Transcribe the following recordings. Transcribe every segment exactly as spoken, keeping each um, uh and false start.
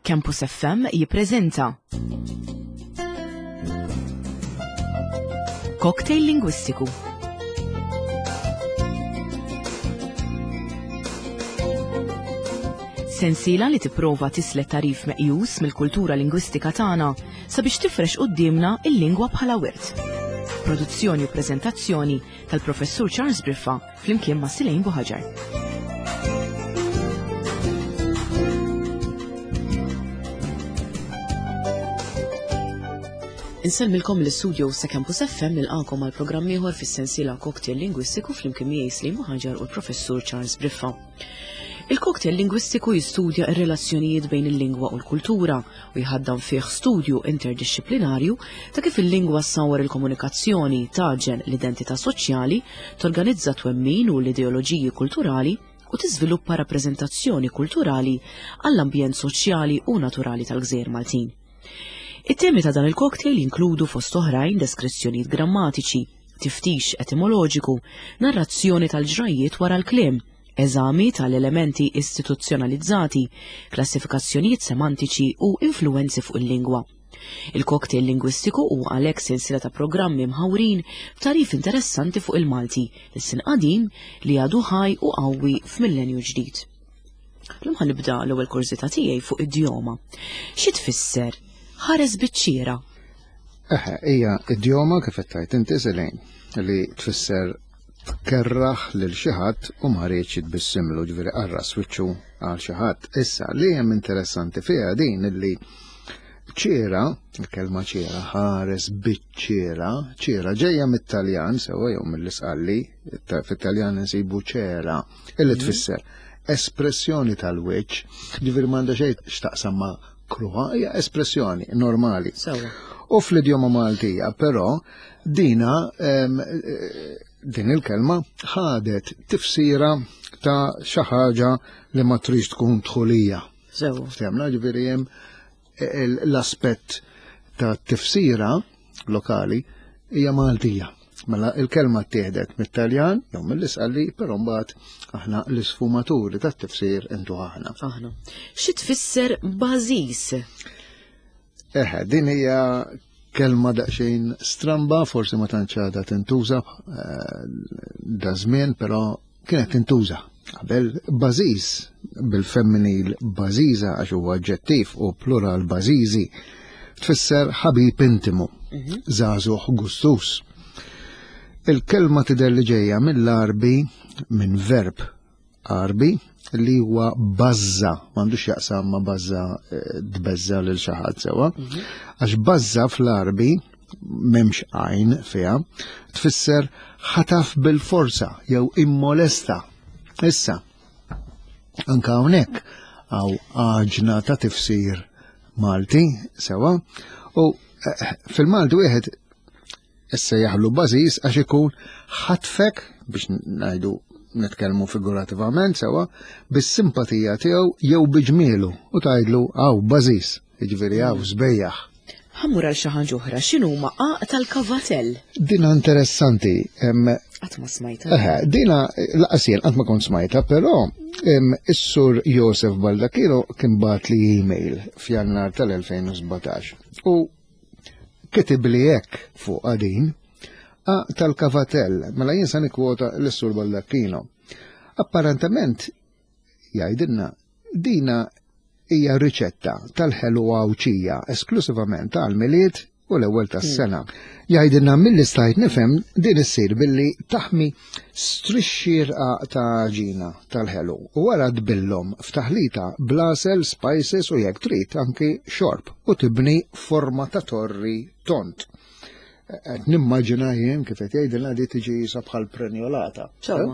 Campus F M jippreżenta Cocktail Lingwistiku. Sensiela li tipprova tislet tarif meqjus mill-kultura lingwistika tagħna sabiex tifrex quddiemna il-lingwa bħala wirt. Produzzjoni u preżentazzjoni tal-Professur Charles Briffa flimkien ma' Silejn Buħaġar. Insellmilkom l-istudio sa Campus F M nilqakom għal programm ieħor fis-sensiela Cocktail Lingwistiku flimkien miegħi Silejn Buħaġar u l-Professur Charles Briffa. Il-cocktail lingwistiku jistudja r-relazzjonijiet bejn il-lingwa u l-kultura u jħaddan fih studju interdixxiplinarju ta' kif il-lingwa ssawwar il-komunikazzjoni, taġen l-identità soċjali, torganizza twemmin u l-ideoloġiji kulturali u tiżviluppa rappreżentazzjoni kulturali għall-ambjent soċjali u naturali tal-Gżejjer Maltin. It-temi ta' dan il-cocktail jinkludu fost oħrajn deskrizzjonijiet grammatiċi, tiftix etimoloġiku, narrazzjoni tal-ġrajiet wara l-kliem, eżami tal-elementi istituzzjonalizzati, klassifikazzjonijiet semantiċi u influwenzi fuq il-lingwa. Il-cocktail lingwistiku huwa għalhekk sensiela ta' programmi mħawrin b'tarif interessanti fuq il-Malti, l-sin qadim li għadu ħaj u qawwi f'millenju ġdid. Illum ħa nibda l-ewwel kurżità tiegħi fuq idjoma. Xi tfisser ħares biċ-ċiera? Eħe, hija idjoma kif qed tgħid inti Selejn, li tfisser tkerraħ lil xi ħadd u ma rridx jitbissimlu, ġifieri qarras wiċċu għal xi ħadd. Issa li hemm interessanti fiha din illi ċiera, il-kelma ċiera, ħares biċ-ċiera, ċiera ġejja mit-Taljan sewwa jew mill-Isqalli, fit-Taljan insibu ċera, illi Mhm. tfisser espressjoni tal-wiċċ, ġifieri m'għandha xejn x'taqsam ma' kruha, hija espressjoni normali. Sewwa. U fl-idjoma Maltija, però, dina, em, eh, din il-kelma ħadet tifsira ta' xi ħaġa li ma tridx tkun dħulija. Sewwa. Ftemna, ġifieri hemm l-aspett ta' tifsira lokali hija Maltija. Mela il-kelma ttieħdet mit-Taljan jew mill-Isqalli, però mbagħad aħna l-isfumaturi tat-tifsir intu aħna. Aħna. Xi tfisser bażis? Eħe, din hija kelma daqsxejn stramba, forsi ma tantx għadha tintuża, eh, da żmien, però kienet tintuża. Qabel bażiż bil-femminil bażiża għax huwa aġġettiv u plural bażiżi tfisser ħabib intimu, Mhm. żagħżugħ gustus. Il-kelma tidher li ġejja mill-Għarbi, minn verb Għarbi li huwa bażza, m'għandux jaqsam ma' bażza, eh, tbeżza lil xi ħadd sewwa. Mhm. Għax bażza fl-Għarbi m'hemmx għajn fiha, tfisser ħataf bil-forza jew immolesta. Issa, anka hawnhekk hawn għaġna ta' tifsir Malti sewwa, u, eh, fil-Malti wieħed issa jaħlu bażiż għax ikun ħatfek, biex ngħidu nitkellmu figurativament sewwa, bis-simpatija tiegħu jew biġmielu u tgħidlu hawn bażiż, jiġifieri hawn sbejjaħ. Ħammur għal xi ħaġa oħra, x'inhuma għaq tal-kavatell? Dina interessanti, em, Qatt ma smajta. Eħe, dina laqas jien qatt ma kont smajta, però, em, is-sur Josef Baldacchino kien bagħat li email f'Jannar tal-elfejn u sbatax u kitib li hekk fuq din A tal-kavatell, mela jien sa nikkwota l-sur Baldacchino. Apparentement jgħidilna dina hija riċetta tal-ħelu Għawdxija esklusivament għal-Milied u l-ewwel tas-sena. Jgħidilna milli stajt nifhem din issir billi taħmi strixxi rqaq ta' għaġina tal-ħelu u wara tbillhom f'taħlita blasel, spices u jekk trid anki xorb u tibni forma ta' torri tont. Qed nimmaġina jien kif qed jgħidilna di tiġi jisa bħal prenjolata. Sewwa.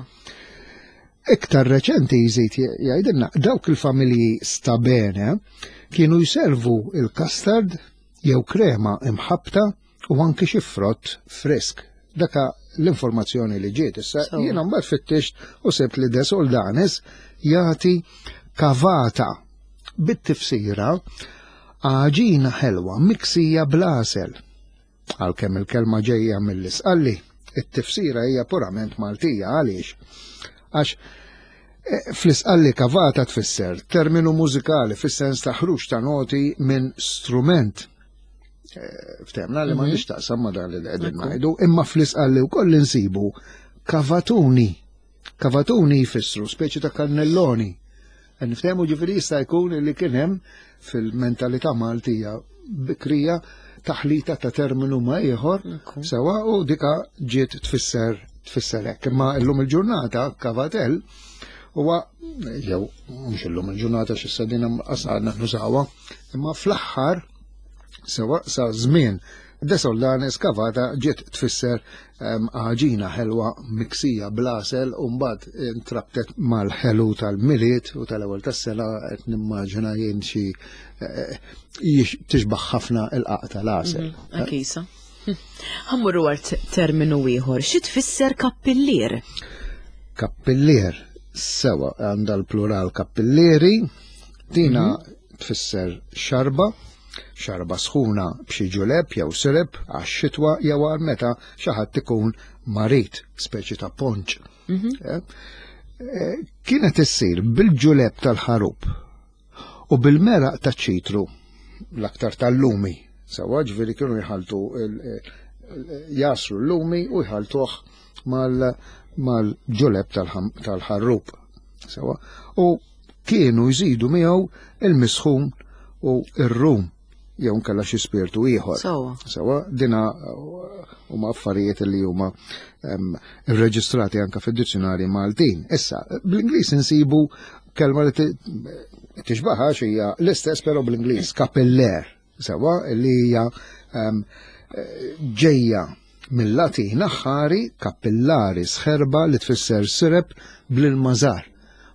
Iktar reċenti jżid jgħidilna dawk il-familji stabene kienu jservu il-custard jew krema imħabta u anki xi frott frisk. Daka l-informazzjoni li ġiet issa Sewwa. jiena mbagħad fittixt u sibt li De Soldanis jagħti kavata bit-tifsira għaġina ħelwa miksija bl-għasel. Għalkemm il-kelma ġejja mill-Isqalli, it-tifsira hija purament Maltija. Għaliex? Għax Eh, Fl-Isqalli kavata tfisser terminu mużikali fis-sens ta' ħruġ ta' noti minn strument. Eh, Ftehmna li ma Mhm. nix taqsam ma dan li qegħdin Ekku. ngħidu, imma fl-Isqalli wkoll insibu kavatuni. Kavatuni jfissru speċi ta' kannelloni. Niftehmu ġifieri jista' jkun li kien hemm fil-mentalità Maltija bikrija taħlita ta' terminu ma' ieħor Ekku. sewa u dika ġiet tfisser tfisser hekk. Imma llum il-ġurnata kavatell huwa jew mhux illum il-ġurnata x'issa din għadna nużawha, imma fl-aħħar sewa sa żmien De Soldanis kavata ġiet tfisser em, għaġina ħelwa miksija bl-għasel u mbagħad intrabtet mal-ħelu tal-Milied u tal-ewwel tas-sena qed nimmaġina jien xi eh, jix- tixbaħ ħafna il-qaq tal-għasel. Mhm, Akisa. Ħa mmorru għal terminu ieħor. Xi tfisser kappillier? Kappillier, sewa għandha l-plural kappillieri, dina tfisser xarba, xarba sħuna b'xi ġuleb jew sirep għax-xitwa jew għal meta xi ħadd ikun marid, speċi ta' ponċ. Eh, eh, Kienet issir bil-ġuleb tal-ħarub u bil-meraq ta' ċitru l-aktar tal-lumi. Sewa ġifieri kienu jħaltu il- il- jasru l-lumi u jħaltuh mal- mal-ġuleb tal-ħam- tal-ħarrub. Sewa u kienu jżidu miegħu il-misħun u ir-rum jew nkella xi spirtu ieħor. Sewa. Sewa, dina uh, huma affarijiet li huma em, irreġistrati anka fid-dizzjonari Maltin. Issa, bl-Ingliż insibu kelma li ti- tixbaħa hija l-istess però bl-Ingliż, capillare. Sewa, li hija em, eh, ġejja mill-Latin aħħari capillaris ħerba li tfisser sirep bl-ilma żgħar.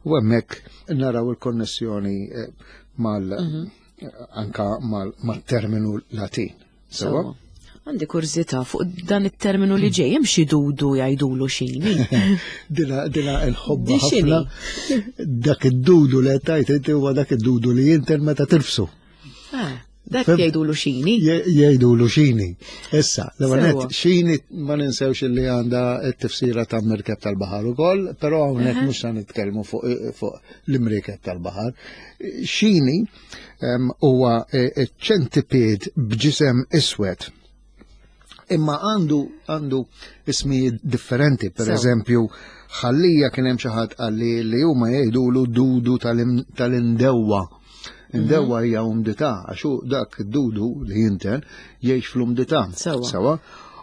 U hemmhekk naraw il-konnessjoni eh, mal anka mal- mal-terminu Latin. Sewa? Sewa. Għandi kurżità fuq dan it-terminu li ġej, hemm xi dudu jgħidulu xini. Dina, dina nħobbha Di x'inhi? ħafna. Dak id-dudu li tajt inti huwa dak id-dudu li jinten meta tirfsu. Ah, Dak Fem- jgħidulu xini. Je- Jgħidulu xini. Issa, Sewa. l xini ma ninsewx li għandha t-tifsira ta' mirkeb tal-baħar ukoll, però hawnhekk mhux se nitkellmu fuq fuq l-imriekeb tal-baħar. Xini em, huwa eh, ċentiped b'ġisem iswed. Imma għandu għandu ismijiet differenti, per Sewa. eżempju, ħallija kien hemm xi ħadd qalli li huma jgħidulu dudu tal-im- tal-indewwa. Indewwa hija umdità, għax hu dak id-dudu li jinten jgħix fl-umdità. Sewa. Sewa.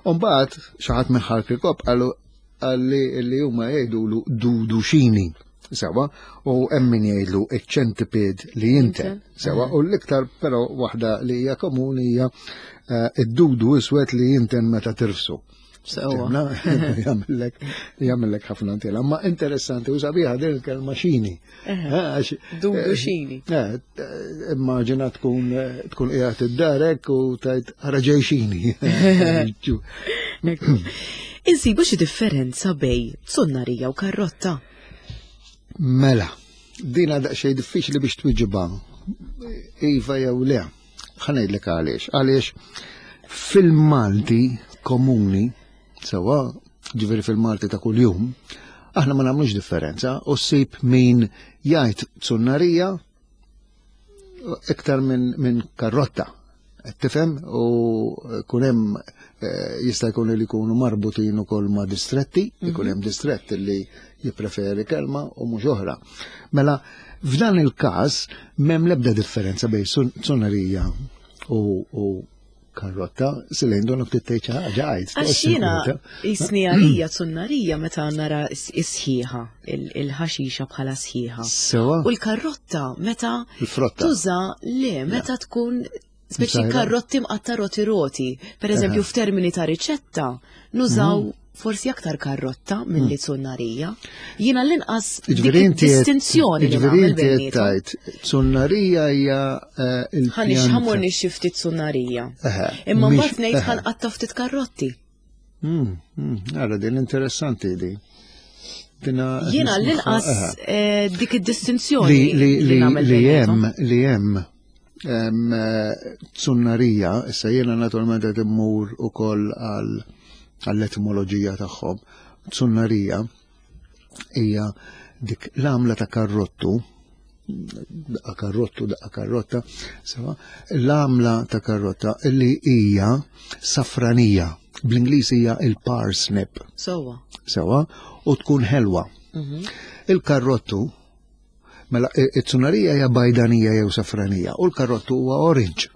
U mbagħad xi ħadd minn Ħal Kirkop qalu qalli li huma jgħidulu dudu xini. Sewa, u hemm min jgħidlu iċ-ċentiped li jinten. Jinten. Sewa, u l-iktar però waħda li hija komuni hija eh, id-dudu iswed li jinten meta tirfsu. Sewa. Tifhimna? Jagħmellek jagħmellek ħafna ntila. Ma interessanti u sabiħa din il-kelma xini. Eh, għax- Dudu eh, xini. Eh, eh, immaġina tkun eh, tkun qiegħed id-darek u tajt ara ġej xini. Insibu xi differenza bejn zunnarija u karrotta. Mela, dina daqsxejn diffiċli biex twiġiba. Iva jew le. Ħa ngħidlek għaliex. Għaliex fil-Malti komuni, sewa, ġifieri fil-Malti ta' kuljum, aħna ma nagħmlux differenza u ssib min jgħid zunnarija iktar minn min karrotta. Qed Tifhem u kun hemm eh, jista' jkun li jkunu marbutin ukoll ma' distretti, ikun hemm distrett li jippreferi kelma u mhux oħra. Mela, f'dan il-każ m'hemm l-ebda differenza bejn sun- zunnarija u, u karrotta, silejn donok tgħid xi ħaġa għid. Għax jiena jisni għalija zunnarija meta nara is- isħiħa, il- il-ħaxixa bħala sħiħa. Sewa, U l-karrotta meta il-frotta. tuża le meta tkun speċi Msajra. karrotti mqatta roti roti. Per eżempju, f'termini ta' riċetta, nużaw Mhm. forsi aktar karrotta milli zunnarija. Jiena l-inqas dik Ġifieri inti qed- distinzjoni li ġifieri nagħmel inti qed bejniethom. tgħid, zunnarija hija eh, Ħanix il-pjanta. ħamur nixxi ftit zunnarija. Eħe, Imma mhix- mbagħad ngħid eħe. ħanqatta ftit karrotti. Mm, mm, Ara, din interessanti di. Dina Jiena nismaħħa, l-inqas eħe. eh, dik id-distinzjoni Li li li nagħmel li bejniethom. hemm li hemm em, eh, zunnarija, issa jiena naturalment qed immur ukoll għal għall-etimoloġija tagħhom. Zunnarija hija dik l-għamla ta' karrottu, daqqa karrottu, daqqa karrotta, sewa, l-għamla ta' karrotta li hija safranija, bl-Ingliż hija il-parsnip. Sewa. Sewa, u tkun ħelwa. Mhm. Il-karrottu, mela it-tsunarija hija bajdanija jew safranija, u l-karrottu huwa orange.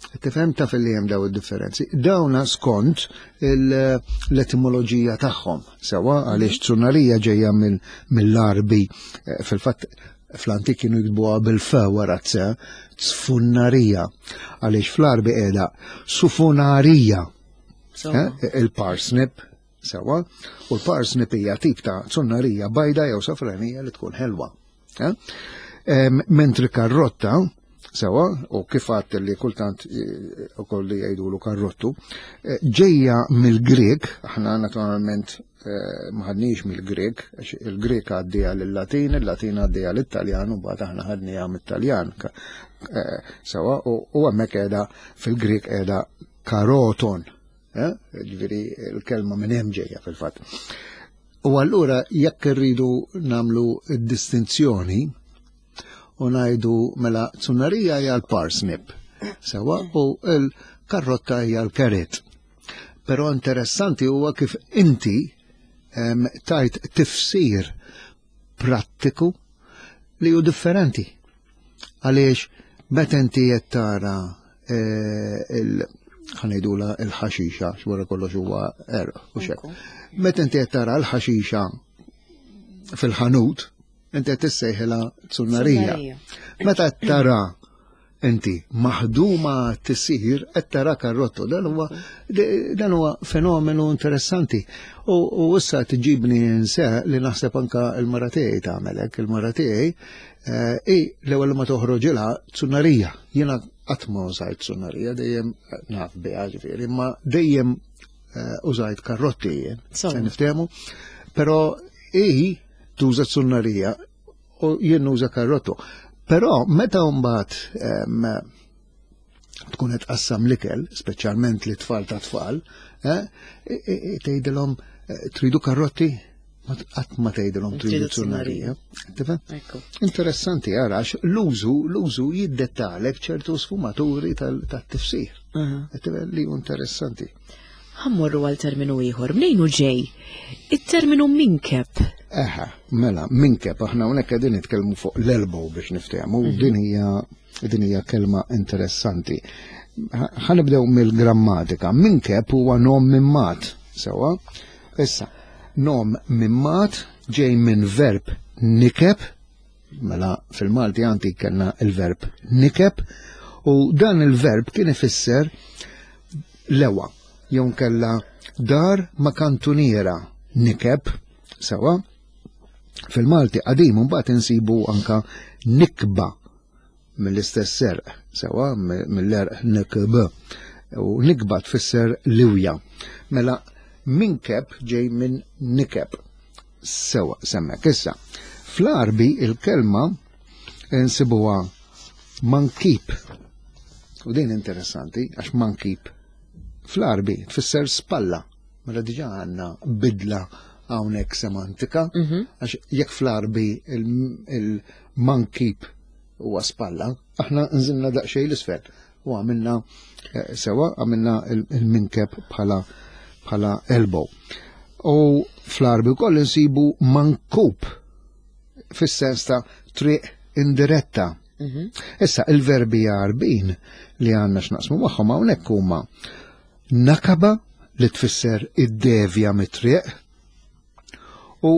Tifhem taf li hemm daw id-differenzi. Dawna skont l-etimoloġija tagħhom. Sewa għaliex tsunarija ġejja mill-Arbi, eh, fil-fatt fl-antik kienu jiktbuha bil-f wara t tfunnarija. Għaliex fl-Arbi qiegħda sufunarija. Eh, il-parsnip, sewa, u l-parsnip hija tip ta' tsunnarija bajda jew safranija li tkun ħelwa. Eh? Mentri karrotta, sewa, u kif għadt li kultant eh, u kolli jgħidulu karrottu, eh, ġejja mill-Grek, aħna naturalment eh, ma ħadniex mill-Grek, għax il-Grek għaddija lill-Latin, il-Latin għaddija lill-Taljan, u mbagħad aħna ħadniha mit-Taljan. Sewa, u hemmhekk qiegħda fil-Grek qiegħda karoton, ġifieri l-kelma minn hemm ġejja fil-fatt. U allura jekk irridu nagħmlu d-distinzjoni, u ngħidu mela tsunarija hija l-parsnip, sewa, u l-karrotta hija l-carrot. Però interessanti huwa kif inti em, tajt tifsir prattiku li hu differenti. Għaliex meta inti qed tara eh, il ħa ngħidulha il-ħaxixa, x'wara kollox huwa għerq u xek. Meta inti qed tara l-ħaxixa fil-ħanut, inti qed tissejħilha tsunnarija. Meta tara inti maħduma tisir qed tara karrottu, dan huwa dan huwa fenomenu interessanti. U, u issa tġibni nse li naħseb anka il-mara tiegħi tagħmel hekk, il-mara tiegħi eh, i l-ewwel ma toħroġilha tsunnarija. Jiena qatt ma użajt tsunnarija, dejjem naf biha ġifieri, imma dejjem eh, użajt karrotti jien. Sewa. Se niftehmu. Però i tuża tsunnarija u jien nuża karrottu. Però meta mbagħad em, tkun qed tqassam l-ikel, speċjalment li tfal ta' tfal, eh, i- i- i- tgħidilhom eh, tridu karrotti? Ma t- qatt ma tgħidilhom tridu Tridu tsunnarija. Tifhem? Ekku. Interessanti ara għax l-użu l-użu jiddettalek ċertu sfumaturi tal- tat-tifsir. Aha. Tifhem li hu interessanti. Ħa mmorru għal terminu ieħor. Mnejn hu ġej? Il-terminu minkeb. Eħa, mela, minkeb, aħna hawnhekk qegħdin nitkellmu fuq l-elbow biex niftehmu, u din hija din hija kelma interessanti. Ħa nibdew mill-grammatika. Minkeb huwa nom mimmat, sewa. Issa, nom mimmat ġej minn verb nikeb, mela fil-Malti antik kellna il-verb nikeb, u dan il-verb kien ifisser lewa, jew kella dar ma' kantuniera nikeb, sewa. Fil-Malti qadim mbagħad insibu anka nikba mill-istess għerq, sewa mill-għerq nikb. U nikba tfisser liwja. Mela minkeb ġej minn nikeb. Sewa semmek issa. Fl-Arbi il-kelma insibuha mankib. U din interessanti għax mankib fl-Arbi tfisser spalla. Mela diġà għandna bidla hawnhekk semantika, għax jekk fl-Arbi il-mankib huwa spalla, aħna nżilna daqsxejn l-isfel u għamilna eh, sewa, għamilna il-minkeb bħala bħala elbow. U fl-Arbi wkoll insibu mankub fis-sens ta' triq indiretta. Issa il-verbi Għarbin li għandna x'naqsmu magħhom hawnhekk huma nakaba li tfisser id-devja mit-triq u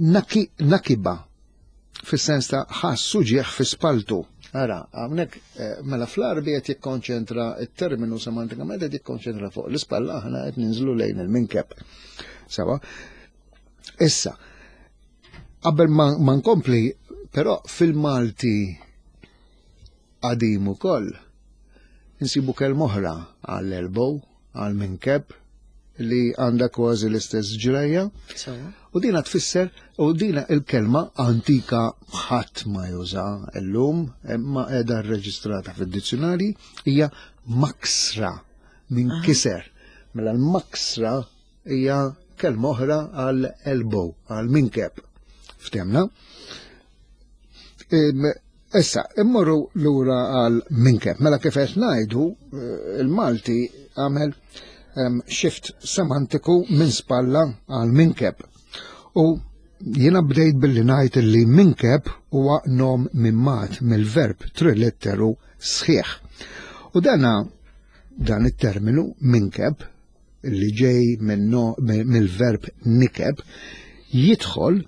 naki, nakiba fis-sens ta' ħassu ġieħ fi spaltu. Ara, hawnhekk eh, mela fl-Arbi qed jikkonċentra it-terminu semantikament qed jikkonċentra fuq l-ispalla aħna qed ninżlu lejn il-minkeb. Sewa. Issa, qabel ma, ma nkompli, però fil-Malti qadim ukoll insibu kelma oħra għall-elbow, għall-minkeb, li għandha kważi l-istess ġrajja. Sewa. U dina tfisser, u dina il-kelma antika ħadd ma juża llum, imma qiegħda rreġistrata fid-dizzjonari, hija maksra minn kiser. Mela l-maksra hija kelma oħra għal elbow, għal minkeb Ftemna? Issa, immorru lura għal minkeb. Mela kif qed ngħidu, il-Malti għamel shift semantiku minn spalla għal minkeb. U jiena bdejt billi ngħid li minkeb huwa nom mimmat mill-verb trilitteru sħiħ. U dana dan it-terminu minkeb li ġej mill-verb nikeb jidħol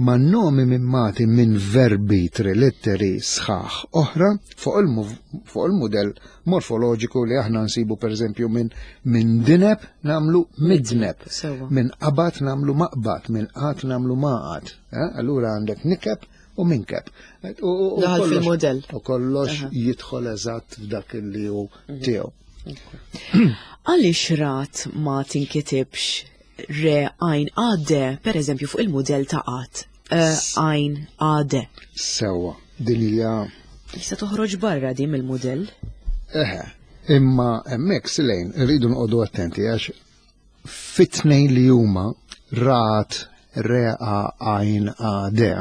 ma' nomi mimmati minn verbi trilitteri sħaħ oħra fuq il-mudell morfoloġiku li aħna nsibu per eżempju minn min dineb namlu midneb, minn qabat namlu maqbat, minn qat namlu maqat. Allura għandek nikeb u minkeb. Daħal fil-modell. U kollox jidħol eżatt f'dak li hu tiegħu. Għaliex rat ma tinkitibx re għajn għadde, per eżempju, fuq il-modell ta' għat, għajn għadde? Sewa, din hija. Jista' toħroġ barra din mill-modell? Eħe, imma hemmhekk silejn irridu nqogħdu attenti għax fit-tnejn li huma rat re a għajn għadde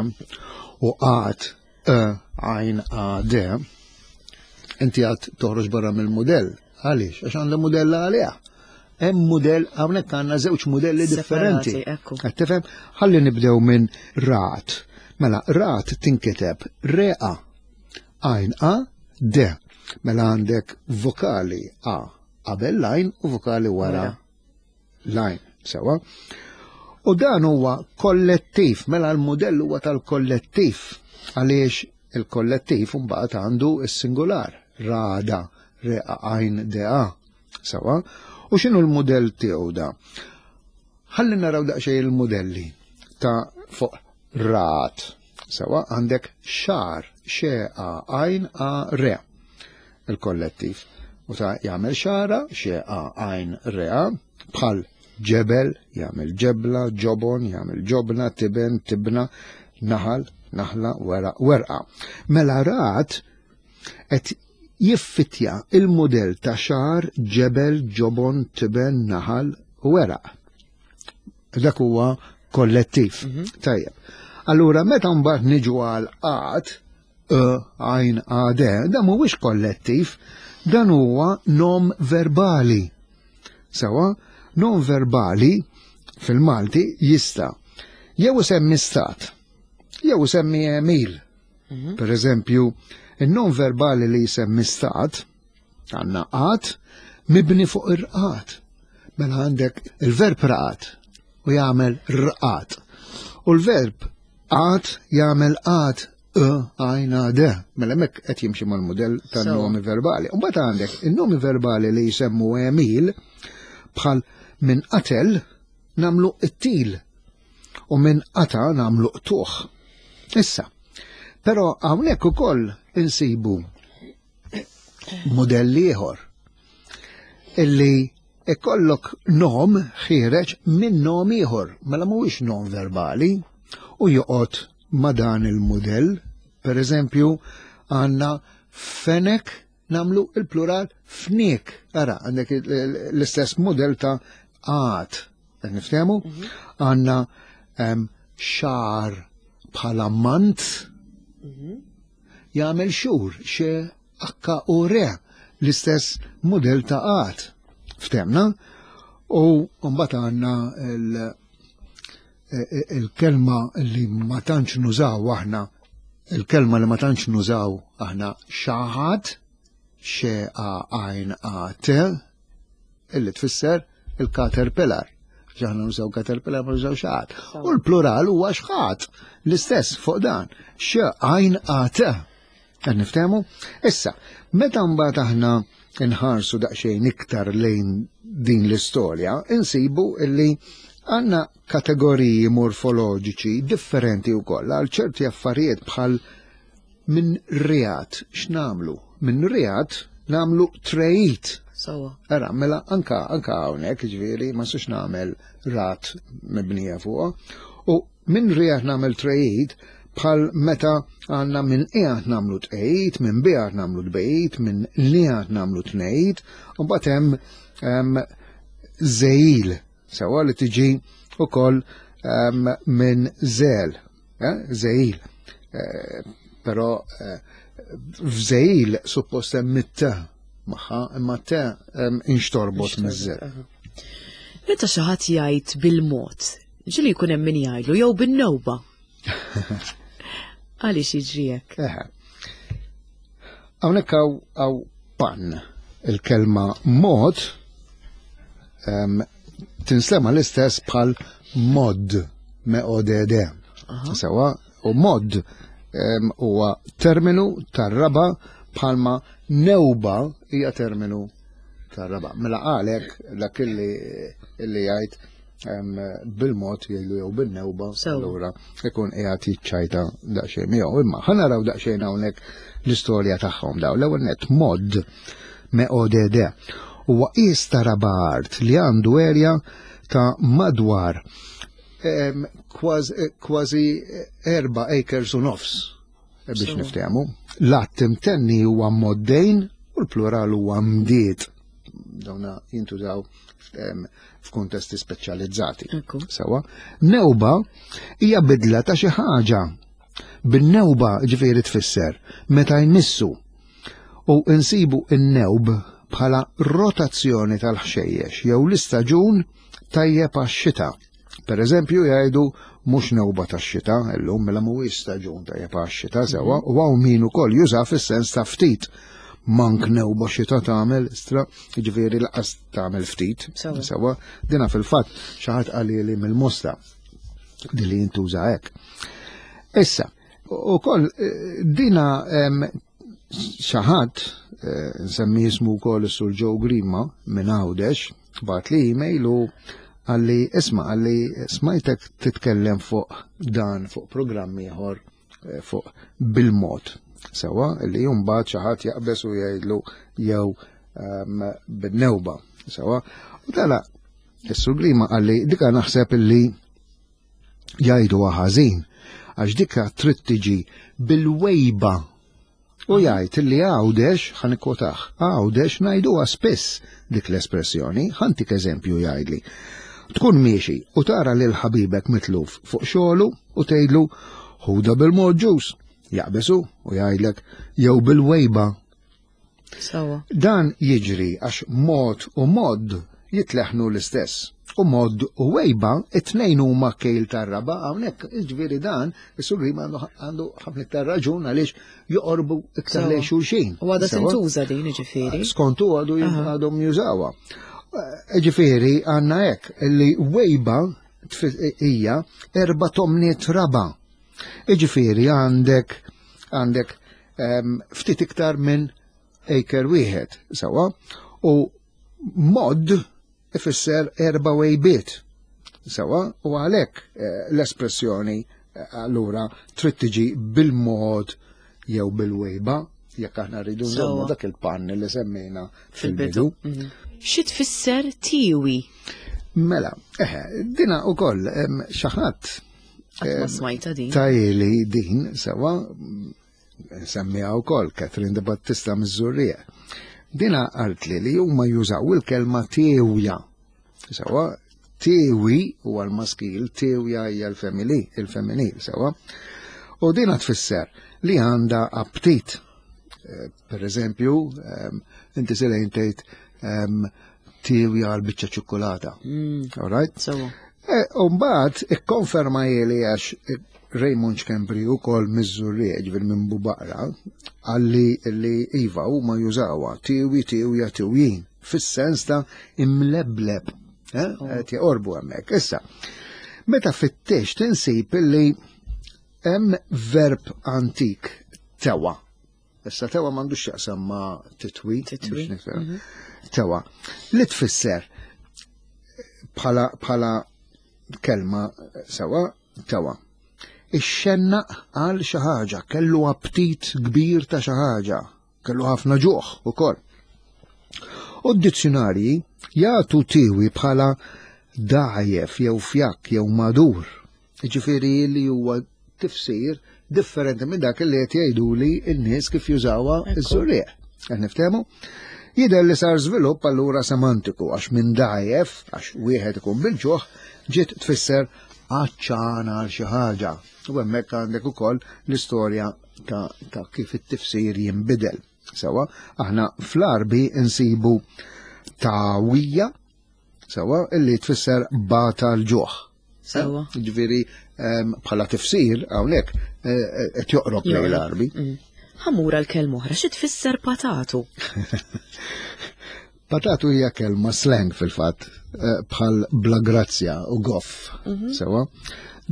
u għat e għajn għadde, inti għad toħroġ barra mill-modell. Għaliex? Għax għandha mudell għaliha. Hemm mudell, hawnhekk għandna żewġ mudelli differenti. Qed tifhem? Ħalli nibdew minn rat. Mela rat tinkiteb re a għajn a d. Mela għandek vokali a qabel lajn u vokali wara lajn. Sewa. U dan huwa kollettiv, mela l-mudell huwa tal-kollettiv. Għaliex il-kollettiv mbagħad għandu s-singular, rada, re a għajn d a. Sewa. U x'inhu l-mudell tiegħu da? Ħalli naraw daqsxejn il-modelli ta' fuq rat. Sewa għandek xar, xe a għajn a re, il-kollettiv. U ta' jagħmel xara, xe a għajn re a, bħal ġebel, jagħmel ġebla, ġobon, jagħmel ġobna, tiben, tibna, naħal, naħla, weraq, werqa. Mela rat qed jiffitja il-modell ta' xar, ġebel, ġobon, tiben, naħal, weraq. Dak huwa kollettiv. Tajjeb. Allura meta mbagħad niġu għal qat, e għajn a d, dan mhuwiex kollettiv, dan huwa nom verbali. Sewa, nom verbali fil-Malti jista' jew isemmi stat, jew isemmi għemil. Per eżempju, il-nom verbali li jisemmi stat, għandna qat, mibni fuq ir-rqat. Mela għandek il-verb raqat u jagħmel rqat. U l-verb qat jagħmel qat e għajn a d. Mela hemmhekk qed jimxi mal-mudell tan-nomi verbali. U mbagħad għandek in-nomi verbali li jsemmu għemil bħal minn qatel namlu qtil u minn qata namlu qtuħ. Issa, però hawnhekk ukoll insibu modell ieħor illi ikollok nom ħiereġ minn nom ieħor, mela mhuwiex nom verbali u joqgħod ma' dan il-mudell. Per eżempju, għandna fenek namlu il-plural fniek. Ara, għandek l-istess modell ta' għat. Qed niftehmu? Għandna xar bħala mant jagħmel xhur, xe akka u re, l-istess modell ta' għat. Ftemna? U mbagħad għandna il-kelma li ma tantx nużaw aħna, il-kelma li ma tantx nużaw aħna xaħat, xe a għajn a t, illi tfisser il-caterpillar. Ġaħna nużaw caterpillar, ma nużaw xaħat. U l-plural huwa xħat, l-istess fuq dan, xe għajn a t. Qed niftehmu? Issa, meta mbagħad aħna nħarsu daqsxejn iktar lejn din l-istorja, insibu illi għandna kategoriji morfoloġiċi differenti wkoll għal ċerti affarijiet bħal minn reat. X'namlu? Minn reat namlu trejt. Sawa. Ara, mela anka anka hawnhekk, ġifieri ma sux nagħmel rat mibnija fuqha. U minn reat nagħmel trejt bħal meta għandna minn qiegħed nagħmlu tqejt, minn biegħed nagħmlu tbejt, minn nieħed nagħmlu tnejt, u mbagħad hemm żejl, sewa li tiġi ukoll minn żel. Eh, Żegħil. Eh, Però eh, f'żegħil suppost hemm it-te magħha, imma te em, inxtorbot miż-żed. Meta xi ħadd jgħid bil-mod, ġieli jkun hemm min jgħidlu jew bin-newba. Għaliex jiġri hekk? Eħe. Hawnhekk hawn hawn pan il-kelma mod em, tinstema l-istess bħal mod M O D D. Sewa, u mod em, huwa terminu tar-raba bħalma newba hija terminu tar-raba. Mela għalek dak illi illi jgħid em, bil-mod jgħidu jew bin-newba, Sewa. allura ikun qiegħed jiċċajta daqsxejn miegħu. Imma ħa naraw daqsxejn hawnhekk l-istorja tagħhom daw. L-ewwel net, mod, M O D D, huwa qies ta' raba art li għandu erja ta' madwar em, kważi kważi erba' acres u nofs eh, biex Sewa. niftehmu. L-għadd imtenni huwa moddejn u l-plural huwa mdiet. Dawna jintużaw em, f'kuntesti speċjalizzati. Ekku. Sewa. Newba hija bidla ta' xi ħaġa. Bin-newba ġifieri tfisser meta jmissu u insibu n-newb bħala rotazzjoni tal-ħxejjex jew l-istaġun tajjeb għax-xita. Per eżempju jgħidu mhux newba tax-xita illum, mela mhuwiex staġun tajjeb għax-xita, sewa, u hawn min ukoll juża fis-sens ta' ftit. Mank newba xita tagħmel istra, jiġifieri laqas tagħmel ftit. Sewa. Sewa, dina fil-fatt xi ħadd qali li mill-Mosta di li jintuża hekk. Issa, u koll dina em, xi ħadd, eh, nsemmi jismu wkoll, is-Sur Joe Grima minn Għawdex, bagħat li email u qalli, "Isma'," qalli, "smajtek titkellem fuq dan fuq programm ieħor eh, fuq bil-mod." Sewa, li mbagħad xi ħadd jaqbeż u jgħidlu jew em, bin-newba. Sewa, u tala, is-Sur Grima qalli, "Dika naħseb illi jgħidu ħażin, għax dika trid tiġi bil-wejba." U jgħid li Għawdex, ħa nikkwotah, "Għawdex ngħiduha spiss dik l-espressjoni, ħa ntik eżempju," jgħidli. "Tkun miexi u tara lil ħabibek mitluf fuq xogħlu u tgħidlu ħuda bil-mod ġus. Jaqbesu u jgħidlek jew bil-wejba." Sewa. Dan jiġri għax mod u modd jitleħnu l-istess. U mod u wejba, it-tnejn huma kejl tar-raba, hawnhekk jiġifieri dan, is-Sur Grima għandu għandu ħafna iktar raġun għaliex joqorbu iktar Sewa. lejn xulxin. U għadha Sewa? tintuża din ġifieri. Skontu għadu Aha. għadhom jużawha. Ġifieri għandna hekk li wejba tfi- hija erba' tomniet raba. Ġifieri għandek għandek em, ftit iktar minn acre wieħed, sewa, u mod ifisser erba' wejbiet. Sewa, u għalhekk eh, l-espressjoni eh, allura trid tiġi bil-mod jew bil-wejba jekk aħna rridu nżommu Sewa. dak il-pann li semmejna fil-bidu. Fil-bidu. Mhm. Xi tfisser tiwi? Mela, eħe, dina u koll, xi ħadd Qatt ma smajta din. tajli din, sewa, semmiha u koll, Catherine de Battista miż-Żurrieq. Dina qaltli li huma jużaw il-kelma tewja. Sewa, tewi huwa l-maskil, tewja hija l-femminil, il-femminil, sewa. U dina tfisser li għandha aptit. Eh, Per eżempju, em, inti silejn tgħid em, tewja għal biċċa ċokolata. Mm, All right? Sewa. E, Umbagħad, ikkonferma jeli għax Raymond Schembri u koll miż-Żurrieq, ġifieri minn Bubaqra, qalli li iva u ma jużawha, tiwi, tiwja, tiwjin, fis-sens ta' imlebleb, eh, qed joqorbu hemmhekk. Issa, meta fittex tinsib illi hemm verb antik, tewa. Issa tewa m'għandux x'jaqsam ma' titwi. Titwi, Biex nifhem. Tewa. Li tfisser bħala bħala kelma, sewa, tewa. Ixxennaq għal xi ħaġa, kellu aptit kbir ta' xi ħaġa, kellu ħafna ġuħ ukoll. U d-dizzjonarji jagħtu tiwi bħala dgħajjef jew fjakk jew madur. Ġifieri li huwa tifsir differenti minn dak li qed jgħidu li n-nies kif jużawha Ekku. iż-Żurrieq. Qed niftehmu? Jidher li sar żvilupp allura semantiku għax minn dgħajjef, għax wieħed ikun bil-ġuħ, ġiet tfisser Għatxan għal xi ħaġa. U hemmhekk għandek ukoll l-istorja ta', ta kif it-tifsir jinbidel. Sewa, aħna fl-Għarbi insibu tawija, sewa, illi tfisser bata l-ġuħ. Sewa. Ġifieri bħala tifsir hawnhekk eh, eh, qed joqrob lejn l-Għarbi. Mm. Ħa mmur għal kelma oħra, xi tfisser patatu? Patatu hija kelma slang fil-fatt, eh, bħal bla grazzja u goff. Mhm. Sewa.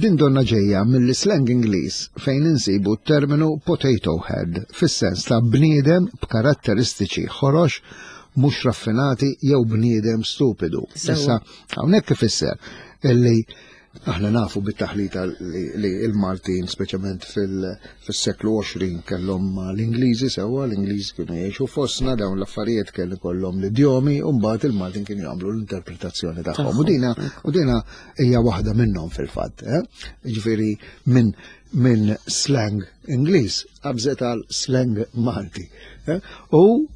Din donna ġejja mill-slang Ingliż fejn insibu terminu potato head fis-sens ta' bniedem b'karatteristiċi ħorox, mhux raffinati jew bniedem stupidu. Issa hawnhekk ifisser illi aħna nafu bit-taħlita li il-Maltin, speċjalment fil-seklu għoxrin, kellhom l-Ingliżi, sewwa, l-Ingliżi kienu jgħixu fostna, dawn l-affarijiet kellu kollhom l-idjomi u mbagħad il-Maltin kienu jagħmlu l-interpretazzjoni tagħhom. U dina u dina hija waħda minnhom fil-fatt, eh? Ġifieri minn min slang Ingliż qabżet għal slang Malti. Eh? U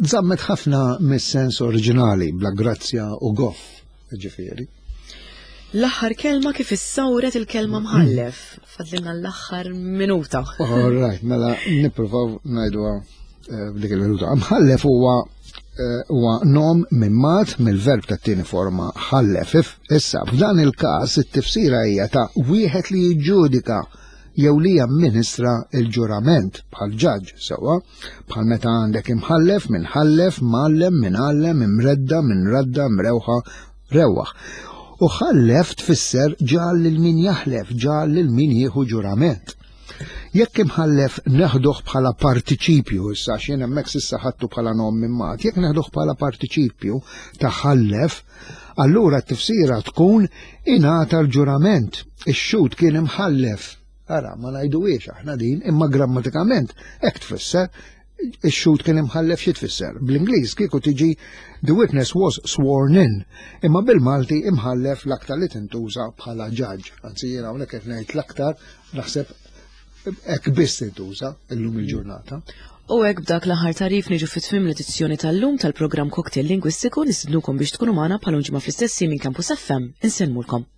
żammet ħafna mis-sens oriġinali, bla grazzja u goff, ġifieri. L-aħħar kelma, kif issawret il-kelma mħallef? Fadlilna l-aħħar minuta. All right, mela nippruvaw ngħiduha eh, b'dik il-minuta. Mħallef huwa eh, huwa nom mimmat mill-verb ta' tieni forma ħallef. Issa, f'dan il-każ it-tifsira hija ta' wieħed li jiġġudika jew li jamministra il-ġurament bħal ġaġ, sewwa, bħal meta għandek imħallef, minn ħallef, mgħallem, minn għallem, imredda, minn radda, mrewħa, rewwaħ. U ħallef tfisser ġal lil min jaħlef, ġal lil min jieħu ġurament. Jekk imħallef neħduh bħala partiċipju, issa xien hemmhekk s'issa ħadtu bħala nom mimmat, jekk neħduh bħala partiċipju ta' ħallef, allura t-tifsira tkun ingħata l-ġurament. Ix-xhud kien imħallef. Ara, ma ngħiduhiex aħna din, imma grammatikament hekk tfisser: ix-xhud kien imħallef. Xi tfisser? Bl-Ingliż kieku tiġi "the witness was sworn in", imma bil-Malti imħallef l-aktar li tintuża bħala judge. Anzi, jiena hawnhekk qed ngħid l-aktar, naħseb hekk biss tintuża illum il-ġurnata. U hekk b'dak l-aħħar tagħrif niġu fit-tmiem l-edizzjoni tal-lum tal-programm Cocktail Lingwistiku. Nistednukom biex tkunu magħna bħal ġimgħa fl-istess minn Campus F M. Insellmulkom.